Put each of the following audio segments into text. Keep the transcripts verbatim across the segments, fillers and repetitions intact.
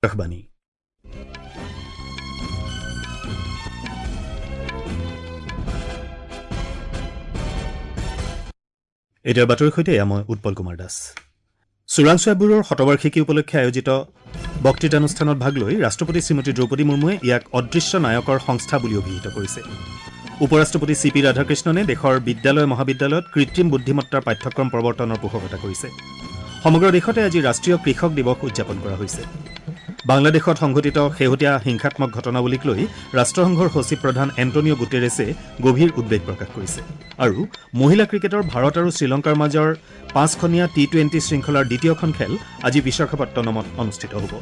আকাশবাণী। এতিয়াৰ বাতৰিৰ সৈতে এয়া মই উৎপল কুমাৰ দাস। চোৰাংচোৱা ব্যুৰোৰ শতবাৰ্ষিকী উপলক্ষে আয়োজিত বক্তৃতানুষ্ঠানত ভাগ লৈ ৰাষ্ট্ৰপতি শ্ৰীমতী দ্ৰৌপদী মুৰ্মুৱে ইয়াক অদৃশ্য নায়কৰ সংস্থা বুলি অভিহিত কৰিছে। উপ-ৰাষ্ট্ৰপতি চি পি ৰাধাকৃষ্ণনে দেশৰ বিদ্যালয় মহাবিদ্যালয়ত কৃত্ৰিম বুদ্ধিমত্তাৰ পাঠ্যক্ৰম প্ৰৱৰ্তনৰ পোষকতা কৰিছে। সমগ্ৰ দেশতে আজি ৰাষ্ট্ৰীয় কৃষক দিৱস উদযাপন কৰা হৈছে। বাংলাদেশত সংঘটিত শেহতীয়া হিংসাত্মক ঘটনাৱলীক লৈ ৰাষ্ট্ৰসংঘৰ সচিব প্ৰধান এণ্টনিঅ' গুটেৰেছে গভীৰ উদ্বেগ প্ৰকাশ কৰিছে। আৰু মহিলা ক্ৰিকেটৰ ভাৰত আৰু শ্ৰীলংকাৰ মাজৰ পাঁচখনীয়া টি টুৱেণ্টি শৃংখলাৰ দ্বিতীয়খন খেল আজি বিশাখাপট্টনমত অনুষ্ঠিত হ'ব।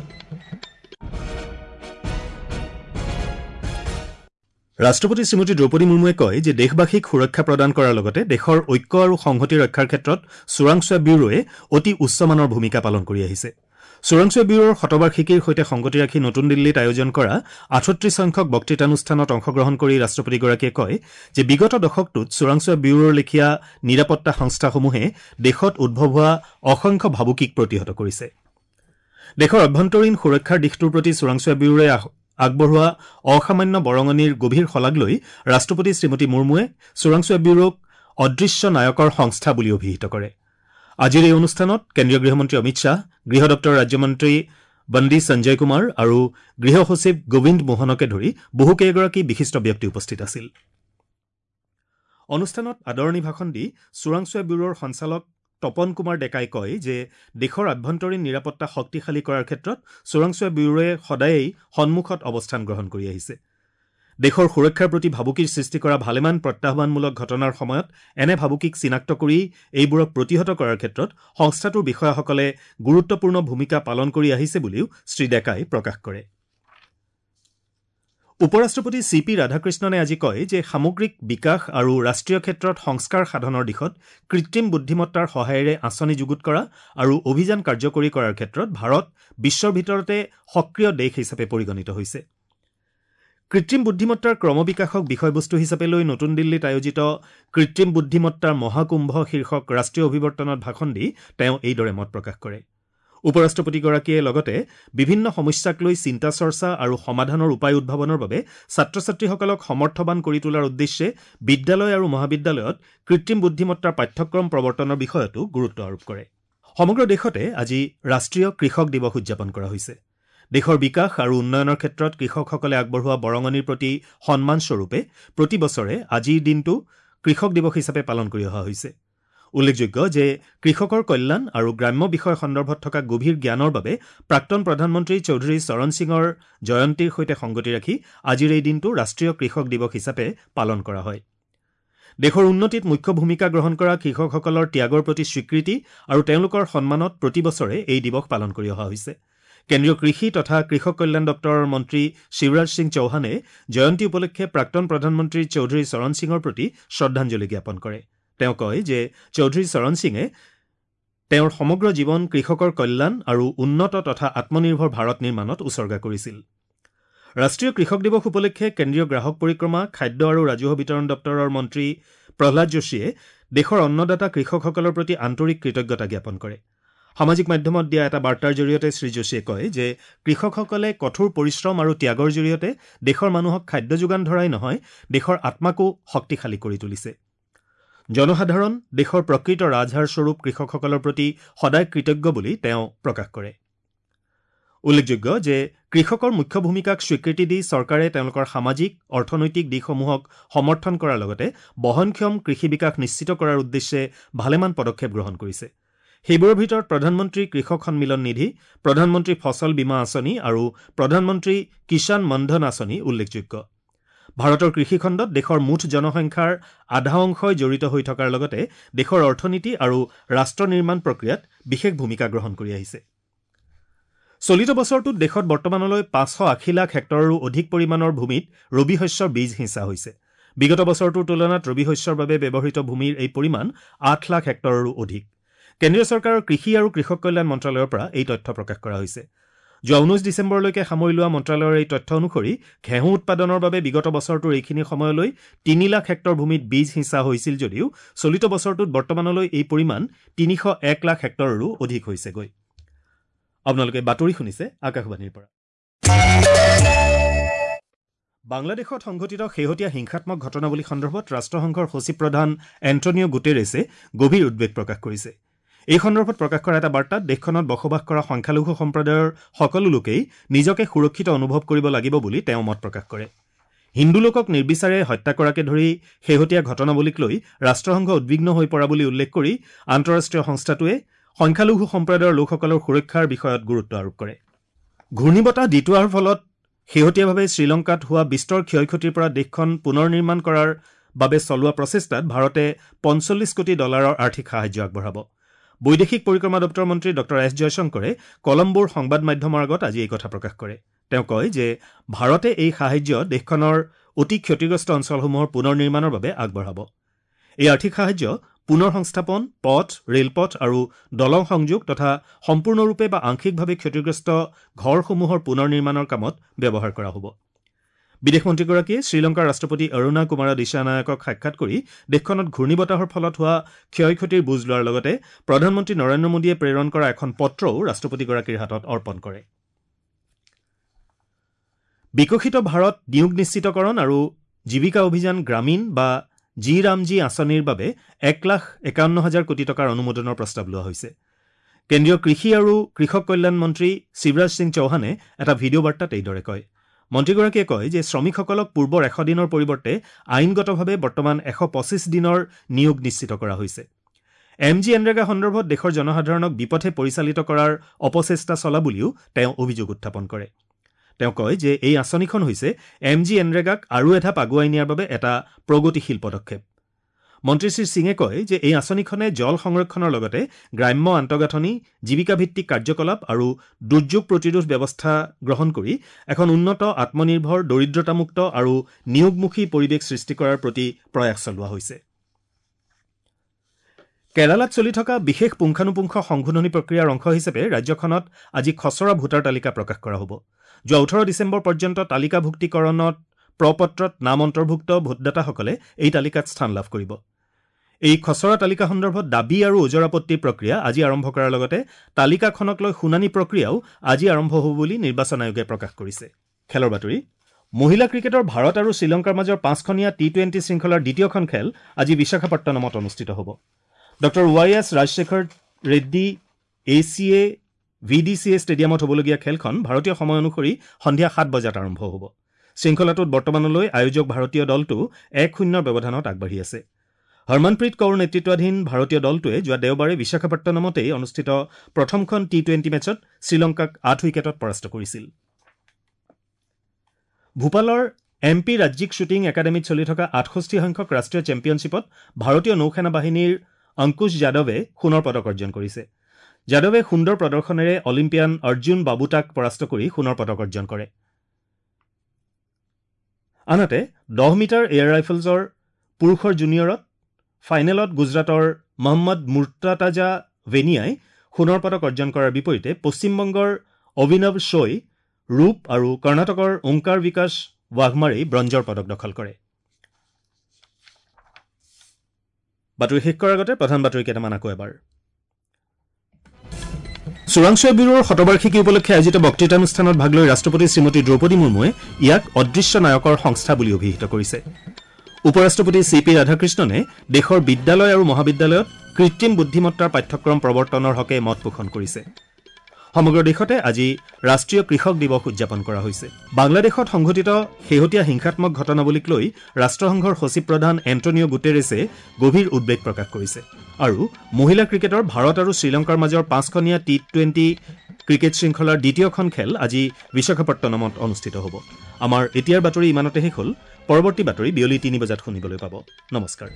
ৰাষ্ট্ৰপতি শ্ৰীমতী দ্ৰৌপদী মুৰ্মুৱে কয় যে দেশবাসীক সুৰক্ষা প্ৰদান কৰাৰ লগতে দেশৰ ঐক্য আৰু সংহতি ৰক্ষাৰ ক্ষেত্ৰত চোৰাংচোৱা ব্যুৰোৱে অতি উচ্চমানৰ ভূমিকা পালন কৰি আহিছে। চোৰাংচোৱা ব্যুৰোৰ শতবাৰ্ষিকীৰ সৈতে সংগতি ৰাখি নতুন দিল্লীত আয়োজন কৰা আঠত্ৰিশ সংখ্যক বক্তৃতানুষ্ঠানত অংশগ্ৰহণ কৰি ৰাষ্ট্ৰপতিগৰাকীয়ে কয় যে বিগত দশকটোত চোৰাংচোৱা ব্যুৰোৰ লেখীয়া নিৰাপত্তা সংস্থাসমূহে দেশত উদ্ভৱ হোৱা অসংখ্য ভাবুকিক প্ৰতিহত কৰিছে। দেশৰ অভ্যন্তৰীণ সুৰক্ষাৰ দিশটোৰ প্ৰতি চোৰাংচোৱা ব্যুৰোৱে আগবঢ়োৱা অসামান্য বৰঙণিৰ গভীৰ শলাগ লৈ ৰাষ্ট্ৰপতি শ্ৰীমতী মুৰ্মুৱে চোৰাংচোৱা ব্যুৰোক অদৃশ্য নায়কৰ সংস্থা বুলি অভিহিত কৰে। আজিৰ এই অনুষ্ঠানত কেন্দ্ৰীয় গৃহমন্ত্ৰী অমিত শ্বাহ, গৃহ দপ্তৰৰ ৰাজ্যমন্ত্ৰী বন্দী সঞ্জয় কুমাৰ আৰু গৃহ সচিব গোবিন্দ মোহনকে ধৰি বহুকেইগৰাকী বিশিষ্ট ব্যক্তি উপস্থিত আছিল। অনুষ্ঠানত আদৰণি ভাষণ দি চোৰাংচোৱা ব্যুৰোৰ সঞ্চালক তপন কুমাৰ ডেকাই কয় যে দেশৰ আভ্যন্তৰীণ নিৰাপত্তা শক্তিশালী কৰাৰ ক্ষেত্ৰত চোৰাংচোৱা ব্যুৰোৱে সদায়েই সন্মুখত অৱস্থান গ্ৰহণ কৰি আহিছে। দেশৰ সুৰক্ষাৰ প্ৰতি ভাবুকিৰ সৃষ্টি কৰা ভালেমান প্ৰত্যাহ্বানমূলক ঘটনাৰ সময়ত এনে ভাবুকিক চিনাক্ত কৰি এইবোৰক প্ৰতিহত কৰাৰ ক্ষেত্ৰত সংস্থাটোৰ বিষয়াসকলে গুৰুত্বপূৰ্ণ ভূমিকা পালন কৰি আহিছে বুলিও শ্ৰী ডেকাই প্ৰকাশ কৰে। উপ-ৰাষ্ট্ৰপতি চি পি ৰাধাকৃষ্ণনে আজি কয় যে সামগ্ৰিক বিকাশ আৰু ৰাষ্ট্ৰীয় ক্ষেত্ৰত সংস্কাৰ সাধনৰ দিশত কৃত্ৰিম বুদ্ধিমত্তাৰ সহায়েৰে আঁচনি যুগুত কৰা আৰু অভিযান কাৰ্যকৰী কৰাৰ ক্ষেত্ৰত ভাৰত বিশ্বৰ ভিতৰতে সক্ৰিয় দেশ হিচাপে পৰিগণিত হৈছে। কৃত্ৰিম বুদ্ধিমত্তাৰ ক্ৰমবিকাশক বিষয়বস্তু হিচাপে লৈ নতুন দিল্লীত আয়োজিত কৃত্ৰিম বুদ্ধিমত্তাৰ মহাকুম্ভ শীৰ্ষক ৰাষ্ট্ৰীয় অভিৱৰ্তনত ভাষণ দি তেওঁ এইদৰে মত প্ৰকাশ কৰে। উপ-ৰাষ্ট্ৰপতিগৰাকীয়ে লগতে বিভিন্ন সমস্যাক লৈ চিন্তা চৰ্চা আৰু সমাধানৰ উপায় উদ্ভাৱনৰ বাবে ছাত্ৰ ছাত্ৰীসকলক সমৰ্থবান কৰি তোলাৰ উদ্দেশ্যে বিদ্যালয় আৰু মহাবিদ্যালয়ত কৃত্ৰিম বুদ্ধিমত্তাৰ পাঠ্যক্ৰম প্ৰৱৰ্তনৰ বিষয়তো গুৰুত্ব আৰোপ কৰে। সমগ্ৰ দেশতে আজি ৰাষ্ট্ৰীয় কৃষক দিৱস উদযাপন কৰা হৈছে। দেশৰ বিকাশ আৰু উন্নয়নৰ ক্ষেত্ৰত কৃষকসকলে আগবঢ়োৱা বৰঙণিৰ প্ৰতি সন্মানস্বৰূপে প্ৰতি বছৰে আজিৰ দিনটো কৃষক দিৱস হিচাপে পালন কৰি অহা হৈছে। উল্লেখযোগ্য যে কৃষকৰ কল্যাণ আৰু গ্ৰাম্য বিষয় সন্দৰ্ভত থকা গভীৰ জ্ঞানৰ বাবে প্ৰাক্তন প্ৰধানমন্ত্ৰী চৌধুৰী চৰণ সিঙৰ জয়ন্তীৰ সৈতে সংগতি ৰাখি আজিৰ এই দিনটো ৰাষ্ট্ৰীয় কৃষক দিৱস হিচাপে পালন কৰা হয়। দেশৰ উন্নতিত মুখ্য ভূমিকা গ্ৰহণ কৰা কৃষকসকলৰ ত্যাগৰ প্ৰতি স্বীকৃতি আৰু তেওঁলোকৰ সন্মানত প্ৰতি বছৰে এই দিৱস পালন কৰি অহা হৈছে। কেন্দ্ৰীয় কৃষি তথা কৃষক কল্যাণ দপ্তৰৰ মন্ত্ৰী শিৱৰাজ সিং চৌহানে জয়ন্তী উপলক্ষে প্ৰাক্তন প্ৰধানমন্ত্ৰী চৌধুৰী চৰণ সিঙৰ প্ৰতি শ্ৰদ্ধাঞ্জলি জ্ঞাপন কৰে। তেওঁ কয় যে চৌধুৰী চৰণ সিঙে তেওঁৰ সমগ্ৰ জীৱন কৃষকৰ কল্যাণ আৰু উন্নত তথা আত্মনিৰ্ভৰ ভাৰত নিৰ্মাণত উছৰ্গা কৰিছিল। ৰাষ্ট্ৰীয় কৃষক দিৱস উপলক্ষে কেন্দ্ৰীয় গ্ৰাহক পৰিক্ৰমা, খাদ্য আৰু ৰাজহুৱা বিতৰণ দপ্তৰৰ মন্ত্ৰী প্ৰহ্লাদ যোশীয়ে দেশৰ অন্নদাতা কৃষকসকলৰ প্ৰতি আন্তৰিক কৃতজ্ঞতা জ্ঞাপন কৰে। সামাজিক মাধ্যমত দিয়া এটা বাৰ্তাৰ জৰিয়তে শ্ৰী যোশীয়ে কয় যে কৃষকসকলে কঠোৰ পৰিশ্ৰম আৰু ত্যাগৰ জৰিয়তে দেশৰ মানুহক খাদ্য যোগান ধৰাই নহয়, দেশৰ আত্মাকো শক্তিশালী কৰি তুলিছে। জনসাধাৰণ দেশৰ প্ৰকৃত ৰাজহাড় স্বৰূপ কৃষকসকলৰ প্ৰতি সদায় কৃতজ্ঞ বুলি তেওঁ প্ৰকাশ কৰে। উল্লেখযোগ্য যে কৃষকৰ মুখ্য ভূমিকাক স্বীকৃতি দি চৰকাৰে তেওঁলোকৰ সামাজিক, অৰ্থনৈতিক দিশসমূহক সমৰ্থন কৰাৰ লগতে বহনক্ষম কৃষি বিকাশ নিশ্চিত কৰাৰ উদ্দেশ্যে ভালেমান পদক্ষেপ গ্ৰহণ কৰিছে। সেইবোৰৰ ভিতৰত প্ৰধানমন্ত্ৰী কৃষক সন্মিলন নিধি, প্ৰধানমন্ত্ৰী ফচল বীমা আঁচনি আৰু প্ৰধানমন্ত্ৰী কিষাণ মনধন আঁচনি উল্লেখযোগ্য। ভাৰতৰ কৃষিখণ্ডত দেশৰ মুঠ জনসংখ্যাৰ আধা অংশই জড়িত হৈ থকাৰ লগতে দেশৰ অৰ্থনীতি আৰু ৰাষ্ট্ৰ নিৰ্মাণ প্ৰক্ৰিয়াত বিশেষ ভূমিকা গ্ৰহণ কৰি আহিছে। চলিত বছৰটোত দেশত বৰ্তমানলৈ পাঁচশ আশী লাখ হেক্টৰৰো অধিক পৰিমাণৰ ভূমিত ৰবি শস্যৰ বীজ সিঁচা হৈছে। বিগত বছৰটোৰ তুলনাত ৰবি শস্যৰ বাবে ব্যৱহৃত ভূমিৰ এই পৰিমাণ আঠ লাখ হেক্টৰৰো অধিক। কেন্দ্ৰীয় চৰকাৰৰ কৃষি আৰু কৃষক কল্যাণ মন্ত্ৰালয়ৰ পৰা এই তথ্য প্ৰকাশ কৰা হৈছে। যোৱা ঊনৈশ ডিচেম্বৰলৈকে সামৰি লোৱা মন্ত্ৰালয়ৰ এই তথ্য অনুসৰি ঘেঁহু উৎপাদনৰ বাবে বিগত বছৰটোৰ এইখিনি সময়লৈ তিনি লাখ হেক্টৰ ভূমিত বীজ সিঁচা হৈছিল যদিও চলিত বছৰটোত বৰ্তমানলৈ এই পৰিমাণ তিনিশ এক লাখ হেক্টৰৰো অধিক হৈছেগৈ। আপোনালোকে বাতৰি শুনিছে আকাশবাণীৰ পৰা। বাংলাদেশত সংঘটিত শেহতীয়া হিংসাত্মক ঘটনাৱলী সন্দৰ্ভত ৰাষ্ট্ৰসংঘৰ সচিব প্ৰধান এণ্টনিঅ' গুটেৰেছে গভীৰ উদ্বেগ প্ৰকাশ কৰিছে। এই সন্দৰ্ভত প্ৰকাশ কৰা এটা বাৰ্তাত দেশখনত বসবাস কৰা সংখ্যালঘু সম্প্ৰদায়ৰ সকলো লোকেই নিজকে সুৰক্ষিত অনুভৱ কৰিব লাগিব বুলি তেওঁ মত প্ৰকাশ কৰে। হিন্দু লোকক নিৰ্বিচাৰে হত্যা কৰাকে ধৰি শেহতীয়া ঘটনাৱলীক লৈ ৰাষ্ট্ৰসংঘ উদ্বিগ্ন হৈ পৰা বুলি উল্লেখ কৰি আন্তঃৰাষ্ট্ৰীয় সংস্থাটোৱে সংখ্যালঘু সম্প্ৰদায়ৰ লোকসকলৰ সুৰক্ষাৰ বিষয়ত গুৰুত্ব আৰোপ কৰে। ঘূৰ্ণীবতাহ দিতোৱাৰ ফলত শেহতীয়াভাৱে শ্ৰীলংকাত হোৱা বিস্তৰ ক্ষয় ক্ষতিৰ পৰা দেশখন পুনৰ নিৰ্মাণ কৰাৰ বাবে চলোৱা প্ৰচেষ্টাত ভাৰতে পঞ্চল্লিছ কোটি ডলাৰৰ আৰ্থিক সাহায্য আগবঢ়াব। বৈদেশিক পৰিক্ৰমা দপ্তৰৰ মন্ত্ৰী ডক্টৰ এছ জয়শংকৰে কলম্বোৰ সংবাদ মাধ্যমৰ আগত আজি এই কথা প্ৰকাশ কৰে। তেওঁ কয় যে ভাৰতে এই সাহায্য দেশখনৰ অতি ক্ষতিগ্ৰস্ত অঞ্চলসমূহৰ পুনৰ নিৰ্মাণৰ বাবে আগবঢ়াব। এই আৰ্থিক সাহায্য পুনৰ সংস্থাপন, পথ, ৰেলপথ আৰু দলং সংযোগ তথা সম্পূৰ্ণৰূপে বা আংশিকভাৱে ক্ষতিগ্ৰস্ত ঘৰসমূহৰ পুনৰ নিৰ্মাণৰ কামত ব্যৱহাৰ কৰা হ'ব। বিদেশ মন্ত্ৰীগৰাকীয়ে শ্ৰীলংকাৰ ৰাষ্ট্ৰপতি অৰুণা কুমাৰা দিশানায়কক সাক্ষাৎ কৰি দেশখনত ঘূৰ্ণীবতাহৰ ফলত হোৱা ক্ষয় ক্ষতিৰ বুজ লোৱাৰ লগতে প্ৰধানমন্ত্ৰী নৰেন্দ্ৰ মোদীয়ে প্ৰেৰণ কৰা এখন পত্ৰও ৰাষ্ট্ৰপতিগৰাকীৰ হাতত অৰ্পণ কৰে। বিকশিত ভাৰত নিয়োগ নিশ্চিতকৰণ আৰু জীৱিকা অভিযান গ্ৰামীণ বা জি ৰামজী আঁচনিৰ বাবে এক লাখ একাৱন্ন হাজাৰ কোটি টকাৰ অনুমোদনৰ প্ৰস্তাৱ লোৱা হৈছে। কেন্দ্ৰীয় কৃষি আৰু কৃষক কল্যাণ মন্ত্ৰী শিৱৰাজ সিং চৌহানে এটা ভিডিঅ' বাৰ্তাত এইদৰে কয়। মন্ত্ৰীগৰাকীয়ে কয় যে শ্ৰমিকসকলক পূৰ্বৰ এশ দিনৰ পৰিৱৰ্তে আইনগতভাৱে বৰ্তমান এশ পঁচিছ দিনৰ নিয়োগ নিশ্চিত কৰা হৈছে। এম জি এনৰেগা সন্দৰ্ভত দেশৰ জনসাধাৰণক বিপথে পৰিচালিত কৰাৰ অপচেষ্টা চলা বুলিও তেওঁ অভিযোগ উত্থাপন কৰে। তেওঁ কয় যে এই আঁচনিখন হৈছে এম জি এনৰেগাক আৰু এধাপ আগুৱাই নিয়াৰ বাবে এটা প্ৰগতিশীল পদক্ষেপ। মন্ত্ৰী শ্ৰী সিঙে কয় যে এই আঁচনিখনে জল সংৰক্ষণৰ লগতে গ্ৰাম্য আন্তঃগাঁথনি, জীৱিকাভিত্তিক কাৰ্যকলাপ আৰু দুৰ্যোগ প্ৰতিৰোধ ব্যৱস্থা গ্ৰহণ কৰি এখন উন্নত, আত্মনিৰ্ভৰ, দৰিদ্ৰতামুক্ত আৰু নিয়োগমুখী পৰিৱেশ সৃষ্টি কৰাৰ প্ৰতি প্ৰয়াস চলোৱা হৈছে। কেৰালাত চলি থকা বিশেষ পুংখানুপুংখ সংশোধনী প্ৰক্ৰিয়াৰ অংশ হিচাপে ৰাজ্যখনত আজি খচৰা ভোটাৰ তালিকা প্ৰকাশ কৰা হ'ব। যোৱা ওঠৰ ডিচেম্বৰ পৰ্যন্ত তালিকাভুক্তিকৰণত প্ৰপত্ৰত নাম অন্তৰ্ভুক্ত ভোটদাতাসকলে এই তালিকাত স্থান লাভ কৰিব। এই খচৰা তালিকা সন্দৰ্ভত দাবী আৰু ওজৰ আপত্তিৰ প্ৰক্ৰিয়া আজি আৰম্ভ কৰাৰ লগতে তালিকাখনক লৈ শুনানি প্ৰক্ৰিয়াও আজি আৰম্ভ হ'ব বুলি নিৰ্বাচন আয়োগে প্ৰকাশ কৰিছে। খেলৰ বাতৰি। মহিলা ক্ৰিকেটৰ ভাৰত আৰু শ্ৰীলংকাৰ মাজৰ পাঁচখনীয়া টি টুৱেণ্টি শৃংখলাৰ দ্বিতীয়খন খেল আজি বিশাখাপট্টনমত অনুষ্ঠিত হ'ব। Doctor Y S Rajasekhar Reddy A C A V D C A ষ্টেডিয়ামত হ'বলগীয়া খেলখন ভাৰতীয় সময় অনুসৰি সন্ধিয়া সাত বজাত আৰম্ভ হ'ব। শৃংখলাটোত বৰ্তমানলৈ আয়োজক ভাৰতীয় দলটো এক শূন্যৰ ব্যৱধানত আগবাঢ়ি আছে। হৰমনপ্ৰীত কৌৰ নেতৃত্বাধীন ভাৰতীয় দলটোৱে যোৱা দেওবাৰে বিশাখাপট্টনমতেই অনুষ্ঠিত প্ৰথমখন টি টুৱেণ্টি মেচত শ্ৰীলংকাক আঠ উইকেটত পৰাস্ত কৰিছিল। ভূপালৰ এম পি ৰাজ্যিক শ্বুটিং একাডেমীত চলি থকা আঠষষ্ঠি সংখ্যক ৰাষ্ট্ৰীয় চেম্পিয়নশ্বিপত ভাৰতীয় নৌসেনা বাহিনীৰ অংকুশ যাদৱে সোণৰ পদক অৰ্জন কৰিছে। যাদৱে সুন্দৰ প্ৰদৰ্শনেৰে অলিম্পিয়ান অৰ্জুন বাবুতাক পৰাস্ত কৰি সোণৰ পদক অৰ্জন কৰে। আনহাতে দহ মিটাৰ এয়াৰ ৰাইফলছৰ পুৰুষৰ জুনিয়ৰত ফাইনেলত গুজৰাটৰ মহম্মদ মুৰ্তাতাজা ভেনিয়াই সোণৰ পদক অৰ্জন কৰাৰ বিপৰীতে পশ্চিমবংগৰ অভিনৱ শৈ ৰূপ আৰু কৰ্ণাটকৰ ওংকাৰ বিকাশ ৱাঘমাৰেই ব্ৰঞ্জৰ পদক দখল কৰে। বাতৰি শেষ কৰাৰ আগতে প্ৰধান বাতৰি কেইটামান আকৌ এবাৰ। চোৰাংচোৱা ব্যুৰোৰ শতবাৰ্ষিকী উপলক্ষে আয়োজিত বক্তৃতানুষ্ঠানত ভাগ লৈ ৰাষ্ট্ৰপতি শ্ৰীমতী দ্ৰৌপদী মুৰ্মুৱে ইয়াক অদৃশ্য নায়কৰ সংস্থা বুলি অভিহিত কৰিছে। উপ ৰাষ্ট্ৰপতি চি পি ৰাধাকৃষ্ণনে দেশৰ বিদ্যালয় আৰু মহাবিদ্যালয়ত কৃত্ৰিম বুদ্ধিমত্তাৰ পাঠ্যক্ৰম প্ৰৱৰ্তনৰ হকে মত পোষণ কৰিছে। সমগ্ৰ দেশতে আজি ৰাষ্ট্ৰীয় কৃষক দিৱস উদযাপন কৰা হৈছে। বাংলাদেশত সংঘটিত শেহতীয়া হিংসাত্মক ঘটনাৱলীক লৈ ৰাষ্ট্ৰসংঘৰ সচিব প্ৰধান এণ্টনিঅ' গুটেৰেছে গভীৰ উদ্বেগ প্ৰকাশ কৰিছে। আৰু মহিলা ক্ৰিকেটৰ ভাৰত আৰু শ্ৰীলংকাৰ মাজৰ পাঁচখনীয়া টি টুৱেণ্টি ক্ৰিকেট শৃংখলাৰ দ্বিতীয়খন খেল আজি বিশাখাপট্টনমত অনুষ্ঠিত হ'ব। আমাৰ এতিয়াৰ বাতৰি ইমানতে শেষ হ'ল। পৰৱৰ্তী বাতৰি বিয়লি তিনি বজাত শুনিবলৈ পাব। নমস্কাৰ।